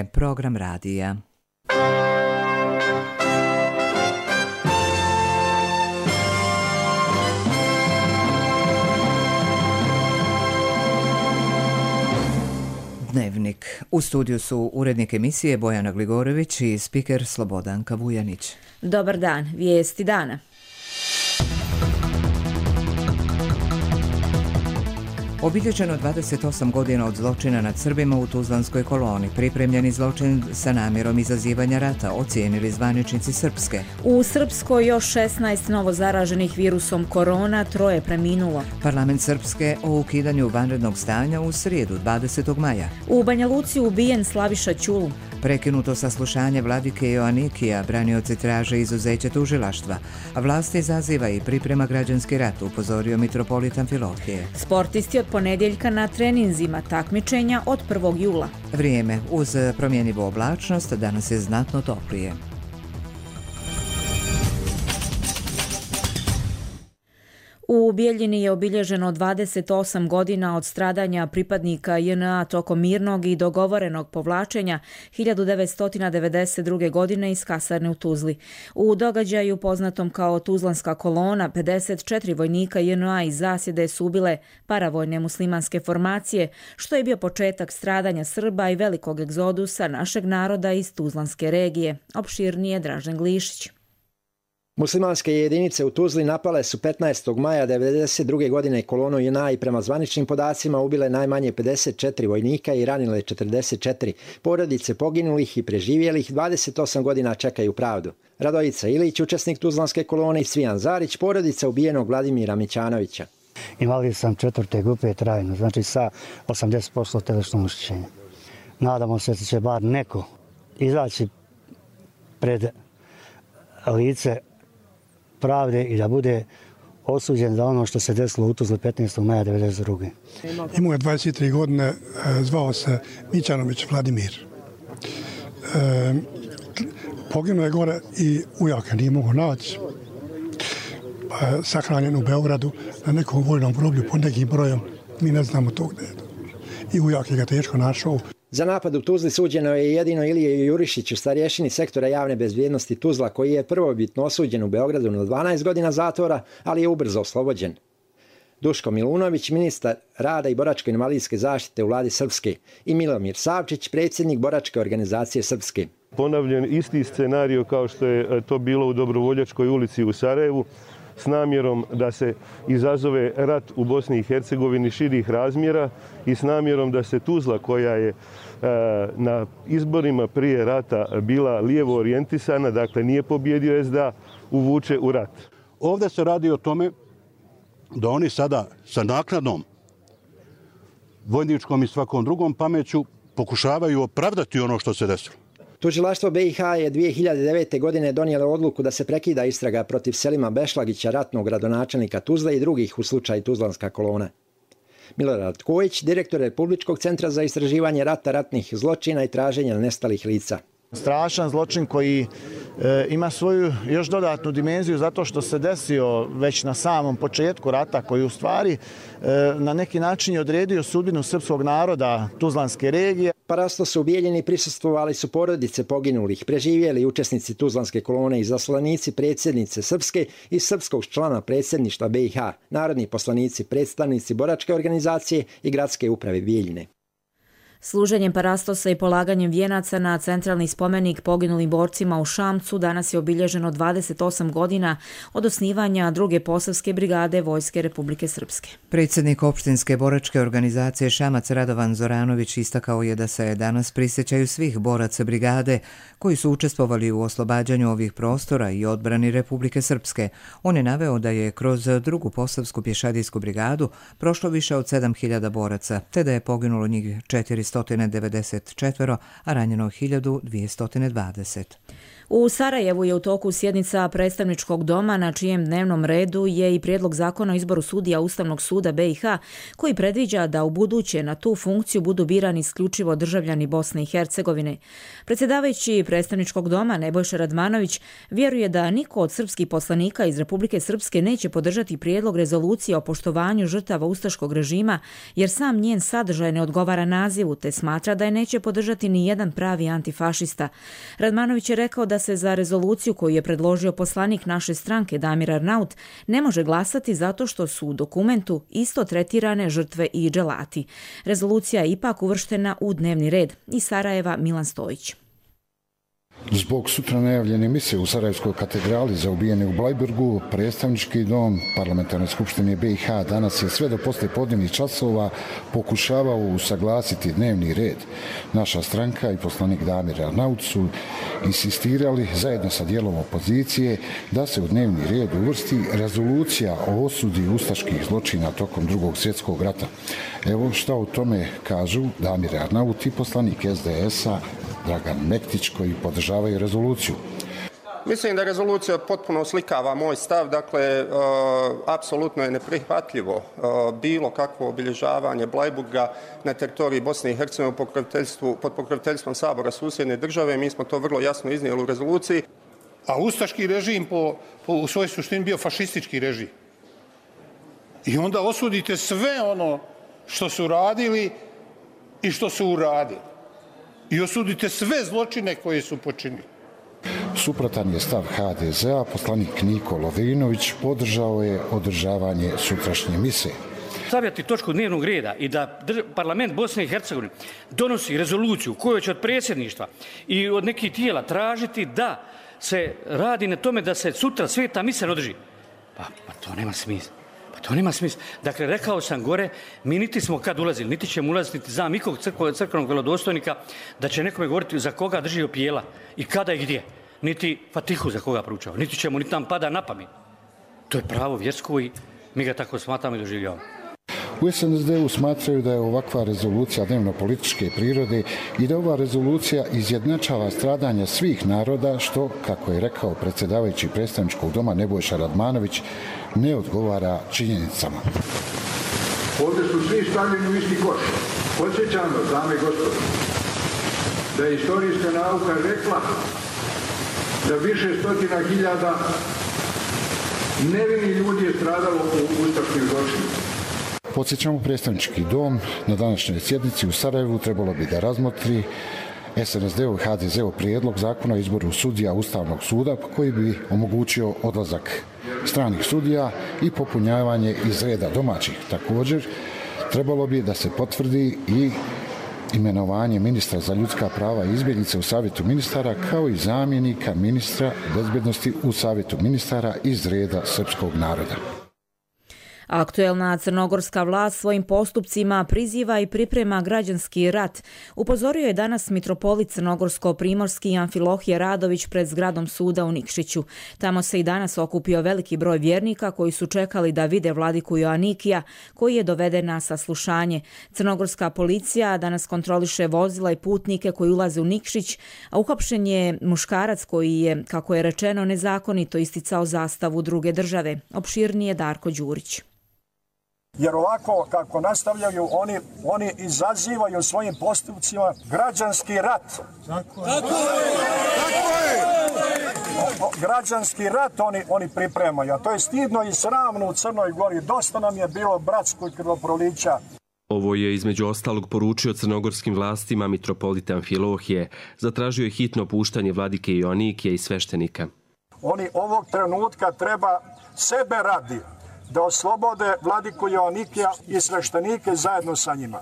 Program radija. Dnevnik. U studiju su urednik emisije Bojana Gligorović i spiker Slobodanka Vujanić. Dobar dan, vijesti dana. Obilježeno 28 godina od zločina nad Srbima u Tuzlanskoj koloni. Pripremljeni zločin sa namjerom izazivanja rata, ocijenili zvaničnici Srpske. U Srpskoj još 16 novo zaraženih virusom korona, 3 preminulo. Parlament Srpske o ukidanju vanrednog stanja u srijedu 20. maja. U Banja Luci ubijen Slaviša Ćulu. Prekinuto saslušanje vladike Joanikija, branioci traže izuzeće tužilaštva, a vlast izaziva i priprema građanski rat, upozorio mitropolitan Amfilohije. Sportisti od ponedjeljka na treninzima, takmičenja od 1. jula. Vrijeme. Uz promjenjivu oblačnost danas je znatno toplije. U Bijeljini je obilježeno 28 godina od stradanja pripadnika JNA tokom mirnog i dogovorenog povlačenja 1992. godine iz kasarne u Tuzli. U događaju poznatom kao Tuzlanska kolona, 54 vojnika JNA iz zasjede su ubile paravojne muslimanske formacije, što je bio početak stradanja Srba i velikog egzodusa našeg naroda iz Tuzlanske regije. Opširnije Dražen Glišić. Muslimanske jedinice u Tuzli napale su 15. maja 1992. godine kolonu JNA i prema zvaničnim podacima ubile najmanje 54 vojnika i ranile 44. Porodice poginulih i preživjelih 28 godina čekaju pravdu. Radojica Ilić, učesnik Tuzlanske kolone, i Cvijan Zarić, porodica ubijenog Vladimira Mićanovića. Invalid sam 4. grupe trajno, znači sa 80% telesnog oštećenja. Nadamo se da će bar neko izaći pred lice pravde i da bude osuđen za ono što se desilo u Tuzli 15. maja 1992. Imao je 23 godine, zvao se Mićanović Vladimir. Poginuo je gore i ujaka nije mogo naći. Sahranjen u Beogradu na nekom vojnom groblju po nekim brojom. Mi ne znamo to gdje je. I ujak je ga teško našao. Za napad u Tuzli suđeno je jedino Ilije Jurišiću, starješini sektora javne bezbjednosti Tuzla, koji je prvobitno osuđen u Beogradu na 12 godina zatvora, ali je ubrzo oslobođen. Duško Milunović, ministar rada i boračko-invalidske zaštite u vladi Srpske, i Milomir Savčić, predsjednik boračke organizacije Srpske. Ponavljen isti scenario kao što je to bilo u Dobrovoljačkoj ulici u Sarajevu, s namjerom da se izazove rat u Bosni i Hercegovini širih razmjera i s namjerom da se Tuzla, koja je na izborima prije rata bila lijevo orijentisana, dakle nije pobjedio SDA, uvuče u rat. Ovdje se radi o tome da oni sada sa naknadnom vojničkom i svakom drugom pameću pokušavaju opravdati ono što se desilo. Tužilaštvo BiH je 2009. godine donijelo odluku da se prekida istraga protiv Selima Bešlagića, ratnog gradonačelnika Tuzle, i drugih u slučaju Tuzlanska kolona. Milorad Kojić, direktor Republičkog centra za istraživanje rata, ratnih zločina i traženja nestalih lica. Strašan zločin koji ima svoju još dodatnu dimenziju zato što se desio već na samom početku rata, koji u stvari na neki način je odredio sudbinu srpskog naroda Tuzlanske regije. Parasto su u Bijeljini prisustvovali su porodice poginulih, preživjeli učesnici Tuzlanske kolone i zaslanici predsjednice Srpske i srpskog člana predsjedništva BiH, narodni poslanici, predstavnici boračke organizacije i gradske uprave Bijeljine. Služenjem parastosa i polaganjem vijenaca na centralni spomenik poginulim borcima u Šamcu danas je obilježeno 28 godina od osnivanja druge posavske brigade Vojske Republike Srpske. Predsjednik opštinske boračke organizacije Šamac Radovan Zoranović istakao je da se danas prisjećaju svih boraca brigade koji su učestvovali u oslobađanju ovih prostora i odbrani Republike Srpske. On je naveo da je kroz drugu posavsku pješadijsku brigadu prošlo više od 7000 boraca, te da je poginulo njih 494, a ranjeno 1220. U Sarajevu je u toku sjednica predstavničkog doma na čijem dnevnom redu je i prijedlog zakona o izboru sudija Ustavnog suda BiH koji predviđa da u buduće na tu funkciju budu birani isključivo državljani Bosne i Hercegovine. Predsjedavajući predstavničkog doma Nebojša Radmanović vjeruje da niko od srpskih poslanika iz Republike Srpske neće podržati prijedlog rezolucije o poštovanju žrtava ustaškog režima jer sam njen sadržaj ne odgovara nazivu te smatra da je neće podržati ni jedan pravi antifašista. Radmanović je rekao da se za rezoluciju koju je predložio poslanik naše stranke Damir Arnaut ne može glasati zato što su u dokumentu isto tretirane žrtve i dželati. Rezolucija je ipak uvrštena u dnevni red. Iz Sarajeva Milan Stojić. Zbog sutra najavljene mise u Sarajevskoj katedrali za ubijene u Blajburgu, predstavnički dom Parlamentarne skupštine BiH danas je sve do poslijepodnevnih časova pokušavao usaglasiti dnevni red. Naša stranka i poslanik Damir Arnaut su insistirali zajedno sa dijelom opozicije da se u dnevni red uvrsti rezolucija o osudi ustaških zločina tokom Drugog svjetskog rata. Evo šta o tome kažu Damir Arnaut i poslanik SDS-a Dragan Mektić koji podržavaju rezoluciju. Mislim da rezolucija potpuno oslikava moj stav, dakle, apsolutno je neprihvatljivo bilo kakvo obilježavanje Blajburga na teritoriji Bosne i Hercegovine pod pokroviteljstvom Sabora susjedne države. Mi smo to vrlo jasno iznijeli u rezoluciji. A ustaški režim u svojoj suštini bio fašistički režim. I onda osudite sve ono što su radili i što su uradili. I osudite sve zločine koje su počinili. Suprotan je stav HDZ-a, poslanik Niko Lovinović podržao je održavanje sutrašnje mise. Stavljati točku dnevnog reda i da parlament Bosne i Hercegovine donosi rezoluciju koju će od predsjedništva i od nekih tijela tražiti da se radi na tome da se sutra sveta mise održi. Pa to nema smisla. To nema smisla. Dakle, rekao sam gore, mi niti smo kad ulazili, niti ćemo ulaziti, niti znam ikog crkvenog vjerodostojnika da će nekome govoriti za koga drži opijela i kada i gdje. Niti Fatihu za koga proučava, niti ćemo, niti nam pada na pamet. To je pravo vjersko i mi ga tako smatramo i doživljavamo. U SNSD-u smatraju da je ovakva rezolucija dnevno-političke prirode i da ova rezolucija izjednačava stradanja svih naroda, što, kako je rekao predsjedavajući predstavničkog doma Nebojša Radmanović, ne odgovara činjenicama. Ovdje su svi stavljeni u isti koš. Podsjećam vas, dame i gospodo, da je istorijska nauka rekla da više stotina hiljada nevini ljudi je stradalo u ustaškim zločinima. Podsjećamo, predstavnički dom na današnjoj sjednici u Sarajevu trebalo bi da razmotri SNSD-ov i HDZ-ov prijedlog zakona o izboru sudija Ustavnog suda koji bi omogućio odlazak stranih sudija i popunjavanje iz reda domaćih. Također, trebalo bi da se potvrdi i imenovanje ministra za ljudska prava i izbjeglice u Savjetu ministara kao i zamjenika ministra bezbjednosti u Savjetu ministara iz reda srpskog naroda. Aktuelna crnogorska vlast svojim postupcima priziva i priprema građanski rat. Upozorio je danas mitropolit crnogorsko-primorski Amfilohije Radović pred zgradom suda u Nikšiću. Tamo se i danas okupio veliki broj vjernika koji su čekali da vide vladiku Joanikija koji je doveden na saslušanje. Crnogorska policija danas kontroliše vozila i putnike koji ulaze u Nikšić, a uhapšen je muškarac koji je, kako je rečeno, nezakonito isticao zastavu druge države. Opširnije Darko Đurić. Jer ovako kako nastavljaju, oni izazivaju svojim postupcima građanski rat. Tako je. Građanski rat oni pripremaju, a to je stidno i sramno u Crnoj Gori. Dosta nam je bilo bratskog krvoprolića. Ovo je između ostalog poručio crnogorskim vlastima mitropolita Amfilohije. Zatražio je hitno puštanje vladike Joanikija i sveštenika. Oni ovog trenutka treba sebe radi da oslobode vladiku Joanikija i sveštenike zajedno sa njima.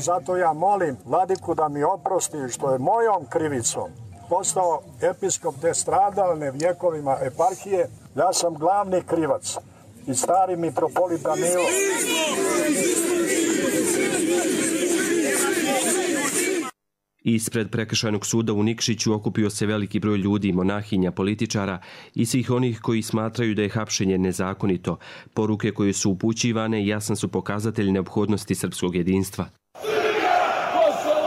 Zato ja molim vladiku da mi oprosti što je mojom krivicom postao episkop te stradalne vjekovima eparhije. Ja sam glavni krivac i stari mitropolit Danilo. Ispred prekršajnog suda u Nikšiću okupio se veliki broj ljudi, monahinja, političara i svih onih koji smatraju da je hapšenje nezakonito. Poruke koje su upućivane jasan su pokazatelj neophodnosti srpskog jedinstva. Kosovo!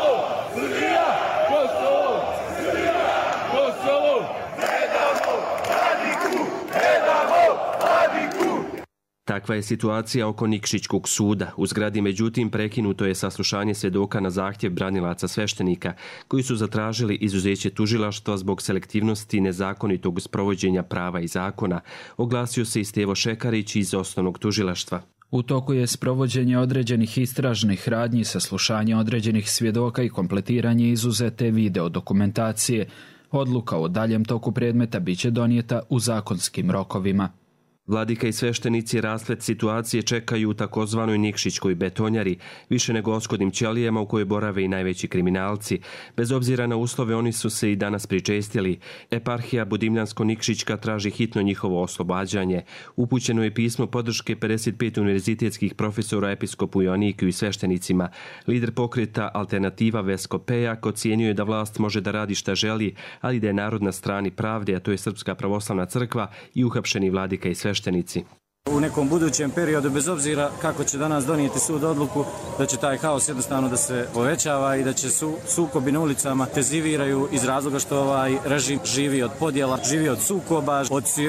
Takva je situacija oko Nikšićkog suda. U zgradi međutim prekinuto je saslušanje svjedoka na zahtjev branilaca sveštenika koji su zatražili izuzeće tužilaštva zbog selektivnosti i nezakonitog sprovođenja prava i zakona, oglasio se i Stevo Šekarić iz osnovnog tužilaštva. U toku je sprovođenje određenih istražnih radnji, saslušanje određenih svjedoka i kompletiranje izuzete video dokumentacije. Odluka o daljem toku predmeta biće donijeta u zakonskim rokovima. Vladika i sveštenici rasplet situacije čekaju u takozvanoj Nikšićkoj betonjari, više nego oskodnim ćelijama u kojoj borave i najveći kriminalci. Bez obzira na uslove oni su se i danas pričestili. Eparhija Budimljansko-Nikšićka traži hitno njihovo oslobađanje. Upućeno je pismo podrške 55 univerzitetskih profesora episkopu Joanikiju i sveštenicima. Lider pokreta Alternativa Vesko Pejak ocijenio da vlast može da radi šta želi, ali da je narod na strani pravde, a to je Srpska pravoslavna crkva i uhapšeni vladika i sveštenici. U nekom budućem periodu, bez obzira kako će danas donijeti sud odluku, da će taj haos jednostavno da se povećava i da će sukobi na ulicama intenziviraju iz razloga što ovaj režim živi od podjela, živi od sukoba,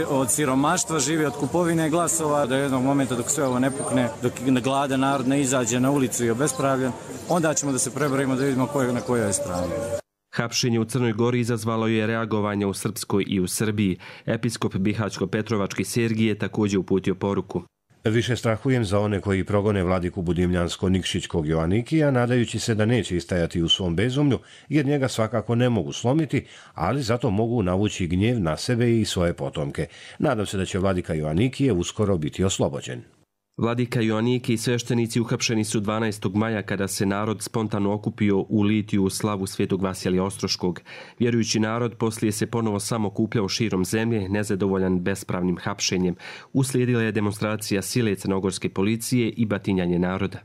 od siromaštva, živi od kupovine glasova. Do jednog momenta dok sve ovo ne pukne, dok gladan narod ne izađe na ulicu i obespravljen, onda ćemo da se preborimo da vidimo na kojoj je strani. Hapšenje u Crnoj Gori izazvalo je reagovanje u Srpskoj i u Srbiji. Episkop Bihaćko-Petrovački Sergij je također uputio poruku. Više strahujem za one koji progone vladiku Budimljansko-Nikšićkog Joanikija, nadajući se da neće istajati u svom bezumlju, jer njega svakako ne mogu slomiti, ali zato mogu navući gnjev na sebe i svoje potomke. Nadam se da će vladika Joanikije uskoro biti oslobođen. Vladika Joaniki i sveštenici uhapšeni su 12. maja kada se narod spontano okupio u litiju u slavu Svetog Vasilija Ostroškog. Vjerujući narod poslije se ponovo samo okupljao širom zemlje, nezadovoljan bespravnim hapšenjem. Uslijedila je demonstracija sile crnogorske policije i batinjanje naroda.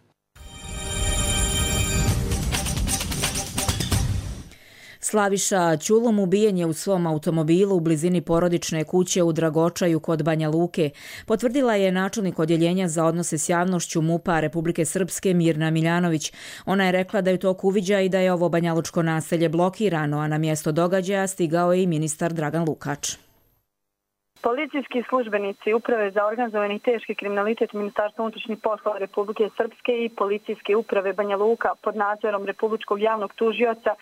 Slaviša Ćulom ubijen je u svom automobilu u blizini porodične kuće u Dragočaju kod Banja Luke. Potvrdila je načelnik odjeljenja za odnose s javnošću MUP-a Republike Srpske Mirna Miljanović. Ona je rekla da je to uviđa i da je ovo banjalučko naselje blokirano, a na mjesto događaja stigao je i ministar Dragan Lukač. Policijski službenici Uprave za organizovani i teški kriminalitet Ministarstva unutrašnjih poslova Republike Srpske i Policijske uprave Banja Luka pod nadzorom Republičkog javnog tužioca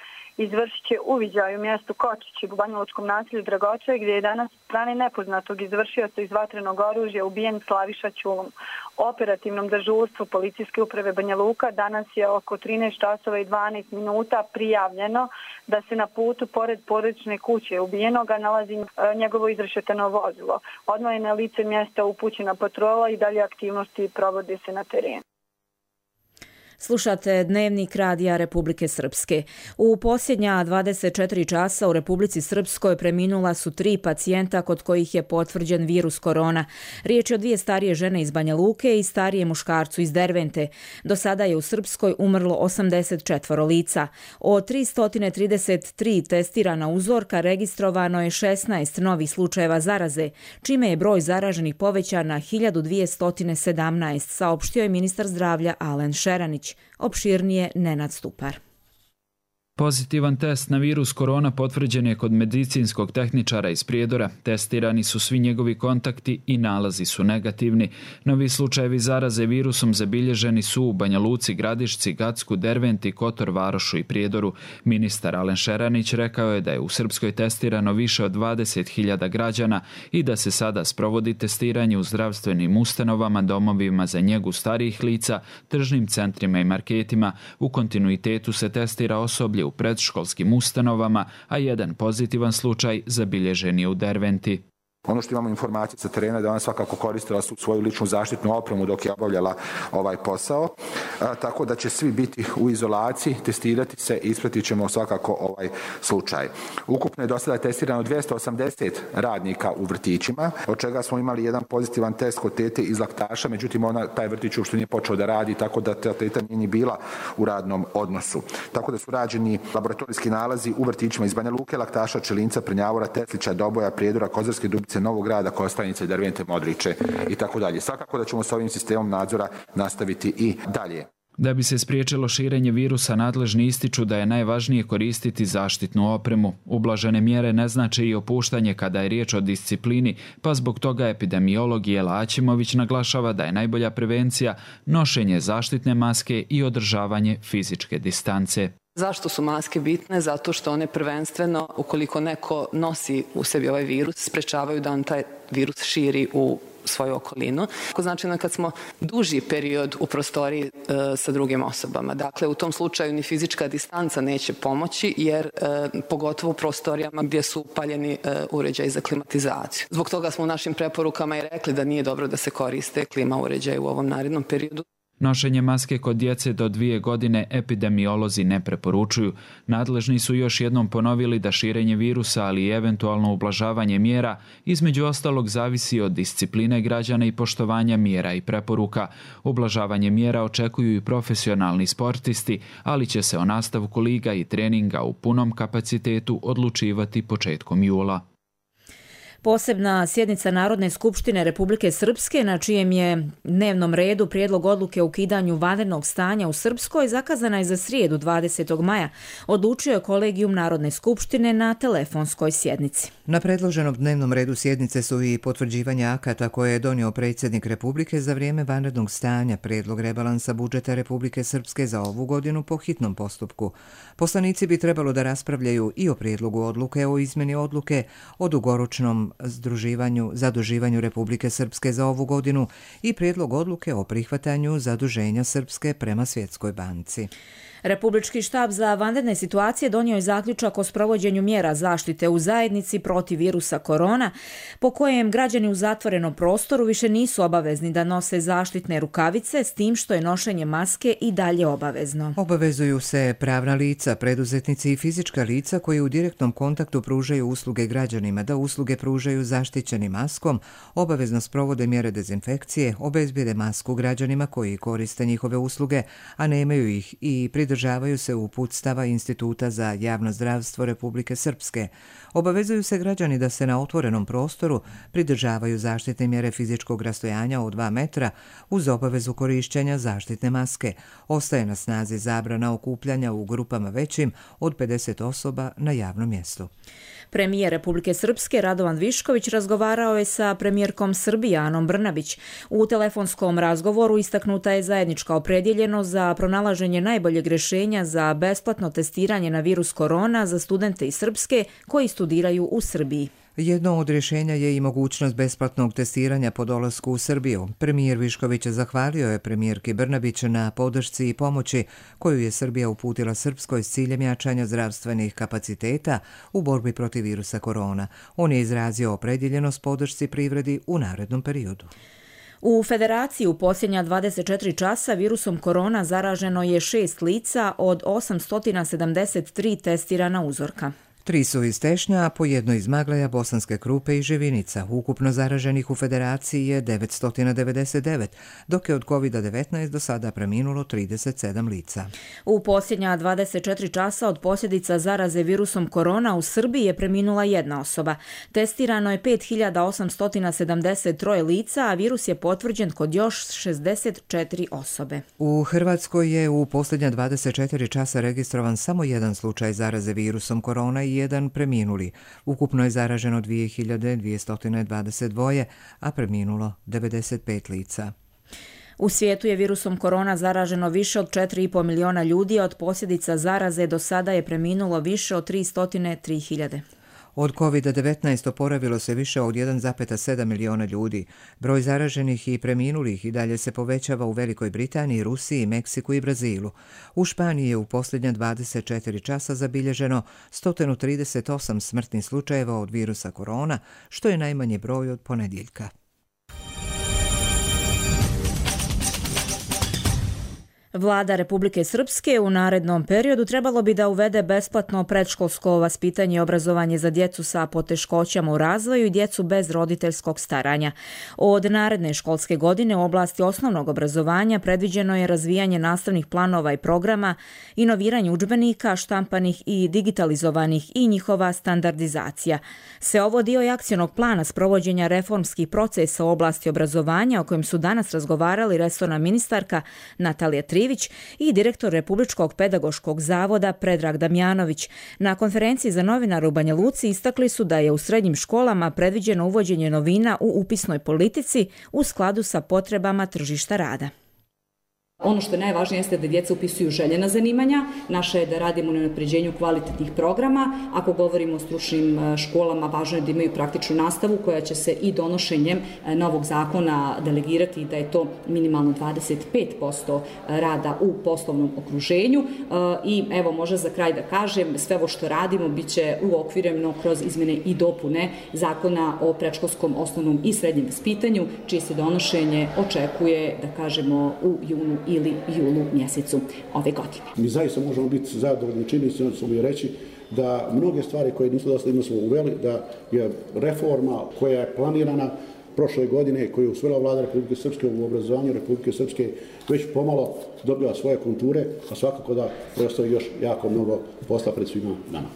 izvršit će uviđaj u mjestu Kočići u banjalučkom naselju Dragočaj, gdje je danas strane nepoznatog izvršioca iz vatrenog oružja ubijen Slaviša Ćulom. Operativnom dežurstvu Policijske uprave Banja Luka danas je oko 13 časova i 12 minuta prijavljeno da se na putu pored porodične kuće ubijenoga nalazi njegovo izrešetano vozilo. Odmah je na lice mjesta upućena patrola i dalje aktivnosti provode se na terenu. Slušate Dnevnik radija Republike Srpske. U posljednja 24 časa u Republici Srpskoj preminula su 3 pacijenta kod kojih je potvrđen virus korona. Riječ je o 2 starije žene iz Banja Luke i starije muškarcu iz Dervente. Do sada je u Srpskoj umrlo 84 lica. Od 333 testirana uzorka registrovano je 16 novih slučajeva zaraze, čime je broj zaraženih povećan na 1217, saopštio je ministar zdravlja Alen Šeranić. Opširnije Nenad Stupar. Pozitivan test na virus korona potvrđen je kod medicinskog tehničara iz Prijedora. Testirani su svi njegovi kontakti i nalazi su negativni. Novi slučajevi zaraze virusom zabilježeni su u Banja Luci, Gradišci, Gacku, Derventi, Kotor, Varošu i Prijedoru. Ministar Alen Šeranić rekao je da je u Srpskoj testirano više od 20.000 građana i da se sada sprovodi testiranje u zdravstvenim ustanovama, domovima za njegu starijih lica, tržnim centrima i marketima. U kontinuitetu se testira osoblje u predškolskim ustanovama, a jedan pozitivan slučaj zabilježen je u Derventi. Ono što imamo informacije sa terena da ona svakako koristila svoju ličnu zaštitnu opremu dok je obavljala ovaj posao, tako da će svi biti u izolaciji, testirati se i ispratit ćemo svakako ovaj slučaj. Ukupno je do sada testirano 280 radnika u vrtićima, od čega smo imali jedan pozitivan test kod tete iz Laktaša, međutim taj vrtić uopšte nije počeo da radi, tako da ta teta nije ni bila u radnom odnosu. Tako da su rađeni laboratorijski nalazi u vrtićima iz Banja Luke, Laktaša, Čelinca, Prnjavora, Teslića, Doboja, Prijedora, Kozarske Dubice, Novog Grada, Kostajnice, Dervente, Modriče i tako dalje. Svakako da ćemo s ovim sistemom nadzora nastaviti i dalje. Da bi se spriječilo širenje virusa, nadležni ističu da je najvažnije koristiti zaštitnu opremu. Ublažene mjere ne znače i opuštanje kada je riječ o disciplini, pa zbog toga epidemiolog Jela Aćimović naglašava da je najbolja prevencija nošenje zaštitne maske i održavanje fizičke distance. Zašto su maske bitne? Zato što one prvenstveno, ukoliko neko nosi u sebi ovaj virus, sprečavaju da on taj virus širi u svoju okolinu. To znači kad smo duži period u prostoriji sa drugim osobama. Dakle, u tom slučaju ni fizička distanca neće pomoći, jer pogotovo u prostorijama gdje su upaljeni uređaji za klimatizaciju. Zbog toga smo u našim preporukama i rekli da nije dobro da se koriste klima uređaji u ovom narednom periodu. Nošenje maske kod djece do 2 godine epidemiolozi ne preporučuju. Nadležni su još jednom ponovili da širenje virusa, ali i eventualno ublažavanje mjera, između ostalog zavisi od discipline građana i poštovanja mjera i preporuka. Ublažavanje mjera očekuju i profesionalni sportisti, ali će se o nastavku liga i treninga u punom kapacitetu odlučivati početkom jula. Posebna sjednica Narodne skupštine Republike Srpske, na čijem je dnevnom redu prijedlog odluke o ukidanju vanrednog stanja u Srpskoj, zakazana je za srijedu 20. maja, odlučio je kolegijum Narodne skupštine na telefonskoj sjednici. Na predloženom dnevnom redu sjednice su i potvrđivanje akata koje je donio predsjednik Republike za vrijeme vanrednog stanja, prijedlog rebalansa budžeta Republike Srpske za ovu godinu po hitnom postupku. Poslanici bi trebalo da raspravljaju i o prijedlogu odluke o izmjeni odluke o dugoročnom zaduživanju Republike Srpske za ovu godinu i prijedlog odluke o prihvatanju zaduženja Srpske prema Svjetskoj banci. Republički štab za vanredne situacije donio je zaključak o sprovođenju mjera zaštite u zajednici protiv virusa korona, po kojem građani u zatvorenom prostoru više nisu obavezni da nose zaštitne rukavice, s tim što je nošenje maske i dalje obavezno. Obavezuju se pravna lica, preduzetnici i fizička lica koji u direktnom kontaktu pružaju usluge građanima da usluge pružaju zaštićenim maskom, obavezno sprovode mjere dezinfekcije, obezbijede masku građanima koji koriste njihove usluge, a nemaju ih, i pridržavaju se uputstava Instituta za javno zdravstvo Republike Srpske. Obavezuju se građani da se na otvorenom prostoru pridržavaju zaštitne mjere fizičkog rastojanja od 2 metra uz obavezu korišćenja zaštitne maske. Ostaje na snazi zabrana okupljanja u grupama većim od 50 osoba na javnom mjestu. Premijer Republike Srpske Radovan Višković razgovarao je sa premijerkom Srbije Anom Brnabić. U telefonskom razgovoru istaknuta je zajednička opredjeljenost za pronalaženje najboljeg rješenja za besplatno testiranje na virus korona za studente iz Srpske koji studiraju u Srbiji. Jedno od rješenja je i mogućnost besplatnog testiranja po dolasku u Srbiju. Premijer Višković zahvalio je premijerki Brnabić na podršci i pomoći koju je Srbija uputila Srpskoj s ciljem jačanja zdravstvenih kapaciteta u borbi protiv virusa korona. On je izrazio opredjeljenost podršci privredi u narednom periodu. U Federaciji u posljednja 24 časa virusom korona zaraženo je 6 lica od 873 testirana uzorka. 3 su iz Tešnja, a po 1 iz Maglaja, Bosanske Krupe i Živinica. Ukupno zaraženih u Federaciji je 999, dok je od COVID-19 do sada preminulo 37 lica. U posljednja 24 časa od posljedica zaraze virusom korona u Srbiji je preminula 1 osoba. Testirano je 5873 lica, a virus je potvrđen kod još 64 osobe. U Hrvatskoj je u posljednja 24 časa registrovan samo 1 slučaj zaraze virusom korona i 1 preminuli. Ukupno je zaraženo 2222, a preminulo 95 lica. U svijetu je virusom korona zaraženo više od 4,5 miliona ljudi, a od posljedica zaraze do sada je preminulo više od 303.000. Od COVID-19 oporavilo se više od 1,7 miliona ljudi. Broj zaraženih i preminulih i dalje se povećava u Velikoj Britaniji, Rusiji, Meksiku i Brazilu. U Španiji je u posljednja 24 časa zabilježeno 138 smrtnih slučajeva od virusa korona, što je najmanji broj od ponedjeljka. Vlada Republike Srpske u narednom periodu trebalo bi da uvede besplatno predškolsko vaspitanje i obrazovanje za djecu sa poteškoćama u razvoju i djecu bez roditeljskog staranja. Od naredne školske godine u oblasti osnovnog obrazovanja predviđeno je razvijanje nastavnih planova i programa, inoviranje udžbenika, štampanih i digitalizovanih i njihova standardizacija. Sve ovo dio je akcionog plana sprovođenja reformskih procesa u oblasti obrazovanja o kojem su danas razgovarali resorna ministarka Natalija Trivić Ivić i direktor Republičkog pedagoškog zavoda Predrag Damjanović. Na konferenciji za novinare u Banja Luci istakli su da je u srednjim školama predviđeno uvođenje novina u upisnoj politici u skladu sa potrebama tržišta rada. Ono što je najvažnije jeste da djeca upisuju željena zanimanja. Naše je da radimo na unapređenju kvalitetnih programa. Ako govorimo o stručnim školama, važno je da imaju praktičnu nastavu koja će se i donošenjem novog zakona delegirati da je to minimalno 25% rada u poslovnom okruženju. I evo, može za kraj da kažem, sve ovo što radimo bit će uokvireno kroz izmjene i dopune zakona o predškolskom, osnovnom i srednjem vaspitanju, čije se donošenje očekuje, da kažemo, u junu ili julu mjesecu ove godine. Mi zaista možemo biti zadovoljni činjenicom, smo mi reći da mnoge stvari koje nisu dosledno smo uveli, da je reforma koja je planirana prošle godine, koju je usvojila vlada Republike Srpske u obrazovanju Republike Srpske, već pomalo dobila svoje konture, a svakako da preostaje još jako mnogo posla pred svima nama.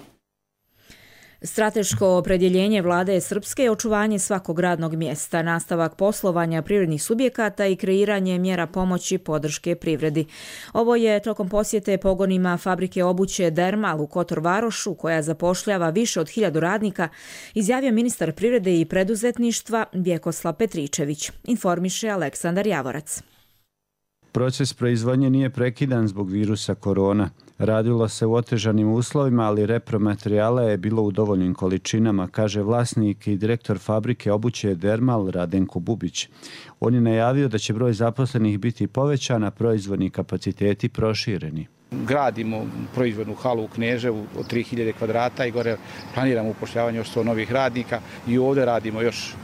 Strateško opredjeljenje vlade Srpske je očuvanje svakog radnog mjesta, nastavak poslovanja privrednih subjekata i kreiranje mjera pomoći podrške privredi. Ovo je tokom posjete pogonima fabrike obuće Dermal u Kotor Varošu, koja zapošljava više od 1000 radnika, izjavio ministar privrede i preduzetništva Vjekoslav Petričević, informiše Aleksandar Javorac. Proces proizvodnje nije prekidan zbog virusa korona. Radilo se u otežanim uslovima, ali repromaterijala je bilo u dovoljnim količinama, kaže vlasnik i direktor fabrike obuće Dermal Radenko Bubić. On je najavio da će broj zaposlenih biti povećan, a proizvodni kapaciteti prošireni. Gradimo proizvodnu halu u Kneževu od 3000 kvadrata i gore planiramo upošljavanje još 100 novih radnika i ovdje radimo još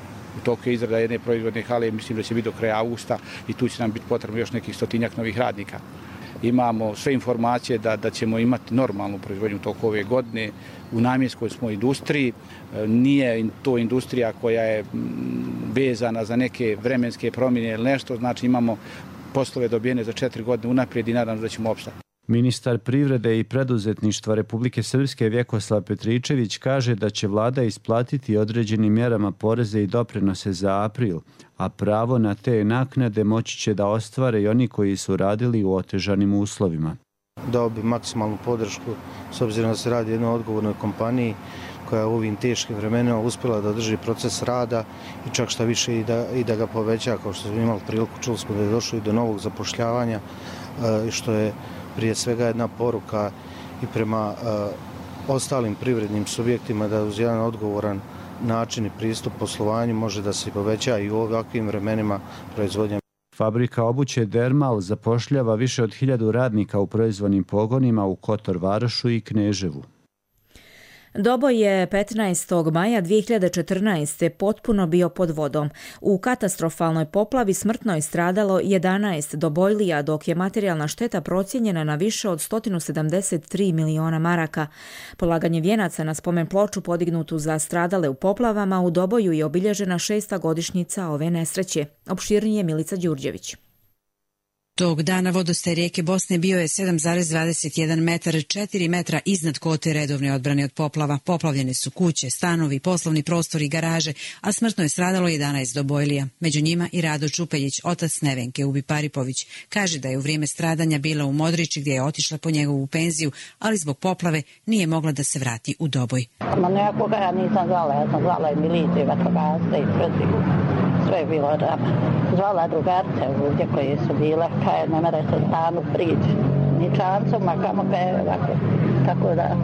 u toku izrada jedne proizvodne hale, mislim da će biti do kraja augusta i tu će nam biti potrebno još nekih 100 novih radnika. Imamo sve informacije da ćemo imati normalnu proizvodnju toku ove godine. U namjenskoj smo industriji, nije to industrija koja je vezana za neke vremenske promjene ili nešto, znači imamo poslove dobijene za 4 godine unaprijed i nadam se da ćemo opstati. Ministar privrede i preduzetništva Republike Srpske Vjekoslav Petričević kaže da će vlada isplatiti određenim mjerama poreze i doprinose za april, a pravo na te naknade moći će da ostvare i oni koji su radili u otežanim uslovima. Dao bi maksimalnu podršku s obzirom da se radi o jednoj odgovornoj kompaniji koja je u ovim teškim vremenima uspjela da drži proces rada i čak šta više i da ga poveća, kao što smo imali priliku, čuli smo da je došlo i do novog zapošljavanja, što je prije svega jedna poruka i prema ostalim privrednim subjektima da uz jedan odgovoran način i pristup poslovanju može da se poveća i u ovakvim vremenima proizvodnja. Fabrika obuće Dermal zapošljava više od 1000 radnika u proizvodnim pogonima u Kotor Varošu i Kneževu. Doboj je 15. maja 2014. potpuno bio pod vodom. U katastrofalnoj poplavi smrtno je stradalo 11 Dobojlija, dok je materijalna šteta procijenjena na više od 173 miliona maraka. Polaganje vijenaca na spomen ploču podignutu za stradale u poplavama u Doboju je obilježena 6. godišnjica ove nesreće. Opširnije Milica Đurđević. Tog dana vodostaj rijeke Bosne bio je 7,21 metar, 4 metra iznad kote redovne odbrane od poplava. Poplavljene su kuće, stanovi, poslovni prostori i garaže, a smrtno je stradalo 11 Dobojlija. Među njima i Rado Čupeljić, otac Nevenke Ubi Paripović. Kaže da je u vrijeme stradanja bila u Modriči gdje je otišla po njegovu penziju, ali zbog poplave nije mogla da se vrati u Doboj. Ma nekoga ja nisam zvala, ja sam zvala i milicije, vatrogasce i protiv. Sve je bilo rama. Zvala drugarce ovdje koje su bile, kaj ne mere se stanu prići. Ni čancom, a kamo kaj je ovako. Tako da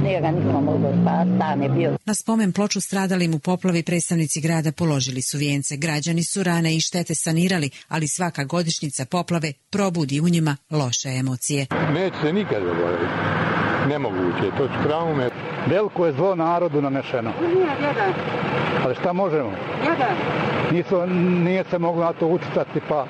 nije ga niko moglo spasti, stan je bio. Na spomen ploču stradalim u poplavi predstavnici grada položili su vijence. Građani su rane i štete sanirali, ali svaka godišnjica poplave probudi u njima loše emocije. Neće se nikad zaboraviti. Nemoguće, to ću traume. Veliko je zlo narodu nanešeno. Ali šta možemo? Nije se moglo na to utjecati, pa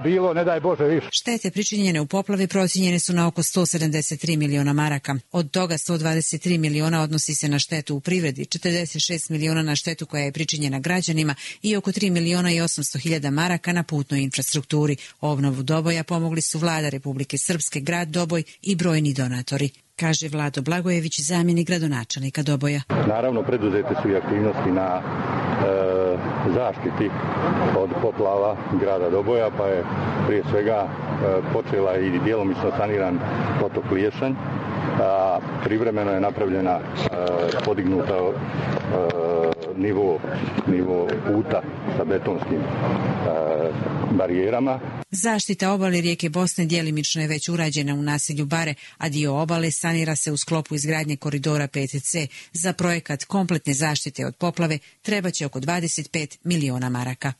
bilo, ne daj Bože više. Štete pričinjene u poplavi procijenjene su na oko 173 miliona maraka. Od toga 123 miliona odnosi se na štetu u privredi, 46 miliona na štetu koja je pričinjena građanima i oko 3 miliona i 800 hiljada maraka na putnoj infrastrukturi. Obnovu Doboja pomogli su vlada Republike Srpske, grad Doboj i brojni donatori, kaže Vlado Blagojević, zamjenik gradonačelnika Doboja. Naravno, preduzete su i aktivnosti na zaštiti od poplava grada Doboja, pa je prije svega počela i djelomično saniran potok Liješanj. Privremeno je napravljena, podignuta nivo puta sa betonskim barijerama. Zaštita obale rijeke Bosne djelimično je već urađena u naselju Bare, a dio obale sanira se u sklopu izgradnje koridora 5C. Za projekat kompletne zaštite od poplave trebaće oko 25 miliona maraka.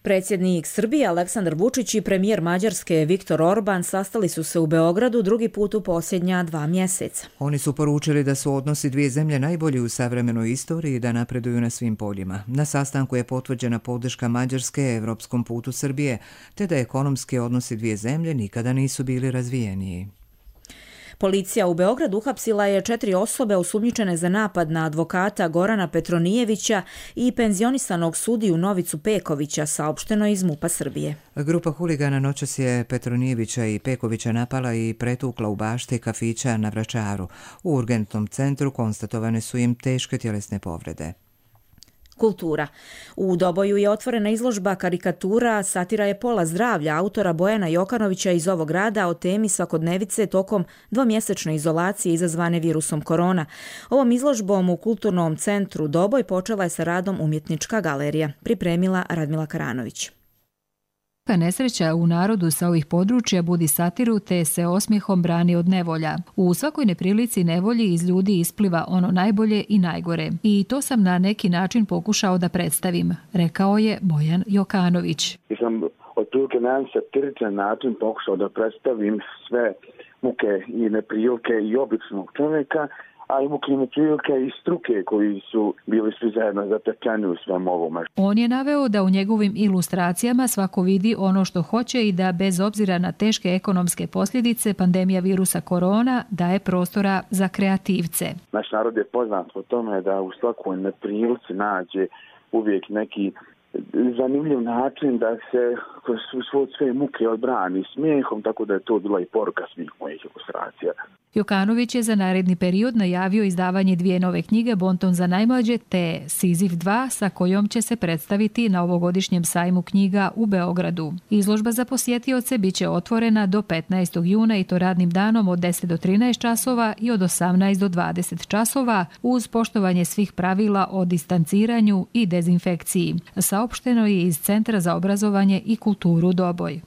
Predsjednik Srbije Aleksandar Vučić i premijer Mađarske Viktor Orban sastali su se u Beogradu drugi put u posljednja 2 mjeseca. Oni su poručili da su odnosi dvije zemlje najbolji u savremenoj istoriji i da napreduju na svim poljima. Na sastanku je potvrđena podrška Mađarske evropskom putu Srbije, te da ekonomski odnosi dvije zemlje nikada nisu bili razvijeniji. Policija u Beogradu uhapsila je 4 osobe osumnjičene za napad na advokata Gorana Petronijevića i penzionisanog sudiju Novicu Pekovića, saopšteno iz MUP-a Srbije. Grupa huligana noćas je Petronijevića i Pekovića napala i pretukla u bašti kafića na Vračaru. U urgentnom centru konstatovane su im teške tjelesne povrede. Kultura. U Doboju je otvorena izložba karikatura Satira je pola zdravlja autora Bojana Jokanovića iz ovog grada o temi svakodnevice tokom dvomjesečne izolacije izazvane virusom korona. Ovom izložbom u Kulturnom centru Doboj počela je sa radom umjetnička galerija. Pripremila Radmila Karanović. Nesreća u narodu sa ovih područja budi satiru te se osmijehom brani od nevolja. U svakoj neprilici nevolji iz ljudi ispliva ono najbolje i najgore. I to sam na neki način pokušao da predstavim, rekao je Bojan Jokanović. Ja sam otprilike na jedan satiričan način pokušao da predstavim sve muke i neprilike i običnog čovjeka, a i muke i neprilike i struke koji su bili svi zajedno zatečeni u svom ovome. On je naveo da u njegovim ilustracijama svako vidi ono što hoće i da bez obzira na teške ekonomske posljedice pandemija virusa korona daje prostora za kreativce. Naš narod je poznat po tome da u svakoj neprilici nađe uvijek neki zanimljiv način da se kroz sve muke odbrani smijehom, tako da je to bila i poruka svih mojih ilustracija. Jokanović je za naredni period najavio izdavanje 2 nove knjige Bonton za najmlađe te Sizif 2 sa kojom će se predstaviti na ovogodišnjem sajmu knjiga u Beogradu. Izložba za posjetioce biće otvorena do 15. juna i to radnim danom od 10 do 13 časova i od 18 do 20 časova uz poštovanje svih pravila o distanciranju i dezinfekciji. Saopšteno je iz Centra za obrazovanje i kulturu Doboj.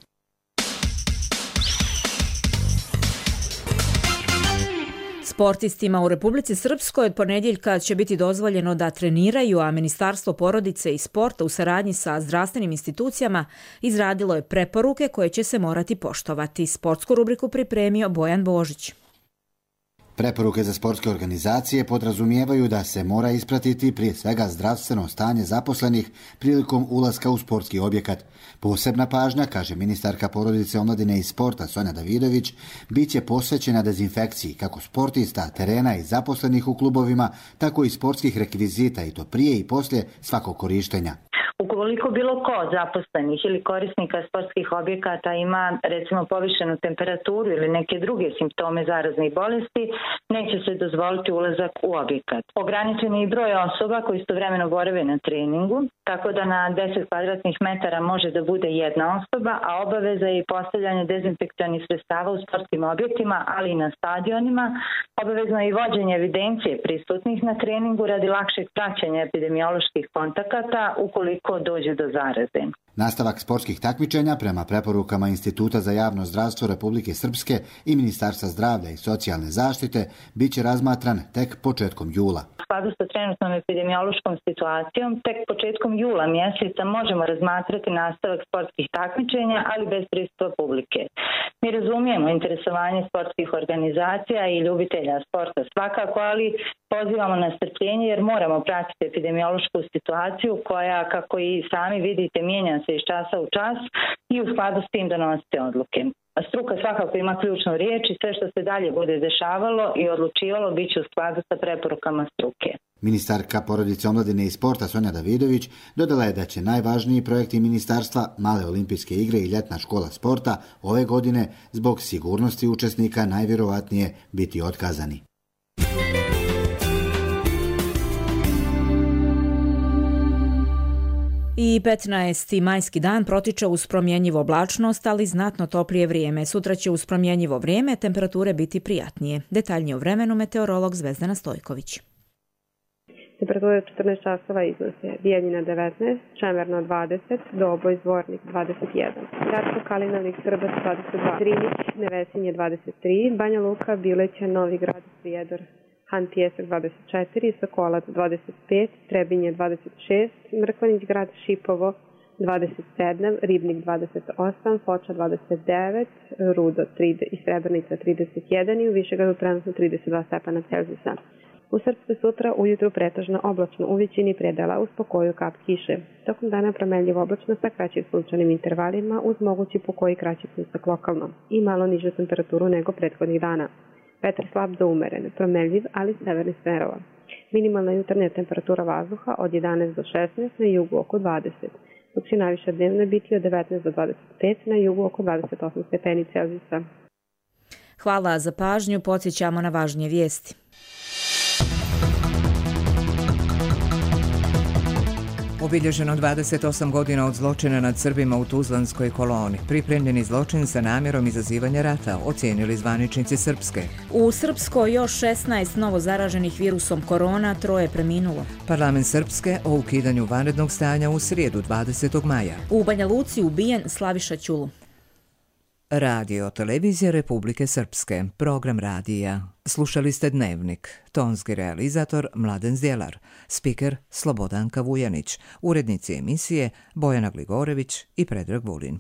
Sportistima u Republici Srpskoj od ponedjeljka će biti dozvoljeno da treniraju, a Ministarstvo porodice i sporta u saradnji sa zdravstvenim institucijama izradilo je preporuke koje će se morati poštovati. Sportsku rubriku pripremio Bojan Božić. Preporuke za sportske organizacije podrazumijevaju da se mora ispratiti prije svega zdravstveno stanje zaposlenih prilikom ulaska u sportski objekat. Posebna pažnja, kaže ministarka porodice, omladine i sporta Sonja Davidović, bit će posvećena dezinfekciji kako sportista, terena i zaposlenih u klubovima, tako i sportskih rekvizita i to prije i poslije svakog korištenja. Ukoliko bilo ko zaposlenih ili korisnika sportskih objekata ima recimo povišenu temperaturu ili neke druge simptome zaraznih bolesti, neće se dozvoliti ulazak u objekat. Ograničen je i broj osoba koji istovremeno borave na treningu, tako da na 10 kvadratnih metara može da bude jedna osoba, a obaveza je i postavljanje dezinfekcionih sredstava u sportskim objektima, ali i na stadionima. Obavezno je i vođenje evidencije prisutnih na treningu radi lakšeg praćenja epidemioloških kontakata ukoliko dođe do zaraze. Nastavak sportskih takmičenja prema preporukama Instituta za javno zdravstvo Republike Srpske i Ministarstva zdravlja i socijalne zaštite bit će razmatran tek početkom jula. U skladu sa trenutnom epidemiološkom situacijom, tek početkom jula mjeseca možemo razmatrati nastavak sportskih takmičenja, ali bez pristupa publike. Mi razumijemo interesovanje sportskih organizacija i ljubitelja sporta svakako, ali pozivamo na strpljenje jer moramo pratiti epidemiološku situaciju koja, kako i sami vidite, mijenja se iz časa u čas i u skladu s tim donosite odluke. Struka svakako ima ključnu riječ i sve što se dalje bude dešavalo i odlučivalo bit će u skladu sa preporukama struke. Ministarka porodice, omladine i sporta Sonja Davidović dodala je da će najvažniji projekti ministarstva, male olimpijske igre i ljetna škola sporta ove godine zbog sigurnosti učesnika najvjerovatnije biti otkazani. I 15. majski dan protiče uz promjenjivu oblačnost, ali znatno toplije vrijeme. Sutra će uz promjenjivo vrijeme temperature biti prijatnije. Detaljnije o vremenu meteorolog Zvezdana Stojković. Temperature 14 časova iznose Bijeljina 19, Čemerno 20, Doboj, Zvornik 21, Gradsko Kalinovik, Srbac 22, Drinić, Nevesinje 23, Banja Luka, Bileća, Novi Grad, Prijedor, Han Pijesak 24, Sokolac 25, Trebinje 26, Mrkonić Grad, Šipovo 27, Ribnik 28, Foča 29, Rudo i Srebrenica 31 i u Višegradu trenutno 32 stepena Celzijusa. U Srpskoj sutra ujutru pretežno oblačno, u većini predela uz pokoju kap kiše. Tokom dana promenljivo oblačno sa kraćim sunčanim intervalima uz mogući pokoji kraći pljusak lokalno i malo nižu temperaturu nego prethodnih dana. Vetar slab do umeren, promenljiv, ali severnih smerova. Minimalna jutarnja temperatura vazduha od 11 do 16, na jugu oko 20, dok će najviša dnevna biti od 19 do 25, na jugu oko 28 stepeni Celzijusa. Hvala za pažnju, podsjećamo na važnije vijesti. Obilježeno 28 godina od zločina nad Srbima u Tuzlanskoj koloni. Pripremljeni zločin sa namjerom izazivanja rata, ocijenili zvaničnici Srpske. U Srpskoj još 16 novo zaraženih virusom korona, 3 preminulo. Parlament Srpske o ukidanju vanrednog stanja u srijedu 20. maja. U Banja Luci ubijen Slaviša Ćulu. Radio Televizija Republike Srpske, program radija. Slušali ste Dnevnik, tonski realizator Mladen Zdjelar, spiker Slobodanka Vujanić, urednici emisije Bojana Gligorević i Predrag Vulin.